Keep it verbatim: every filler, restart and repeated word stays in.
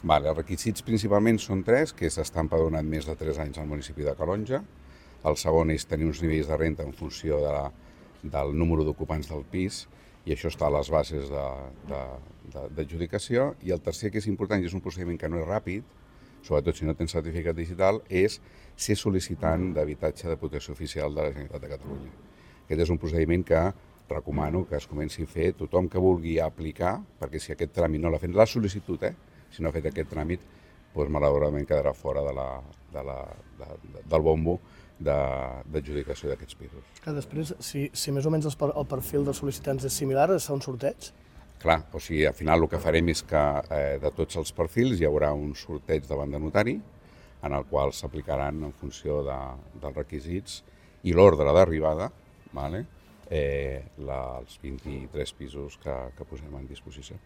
Vale, els requisits principalment són tres, que és estar empadronat més de tres anys al municipi de Calonge. El segon és tenir uns nivells de renta en funció de la, del número d'ocupants del pis, i això està a les bases d'adjudicació. I el tercer, que és important, i és un procediment que no és ràpid, sobretot si no tens certificat digital, és ser sol·licitant d'habitatge de protecció oficial de la Generalitat de Catalunya. Aquest és un procediment que recomano que es comenci a fer tothom que vulgui aplicar, perquè si aquest tràmit no l'ha fet, la sol·licitud, eh? Si no ha fet aquest tràmit, doncs malauradament quedarà fora de la, de la, de, de, del bombo d'adjudicació d'aquests pisos. Que després, si, si més o menys el perfil dels sol·licitants és similar, es fa un sorteig? Clar, o sigui, al final el que farem és que eh, de tots els perfils hi haurà un sorteig davant de notari, en el qual s'aplicaran en funció de, dels requisits i l'ordre d'arribada, vale? eh, la, els vint-i-tres pisos que, que posem en disposició.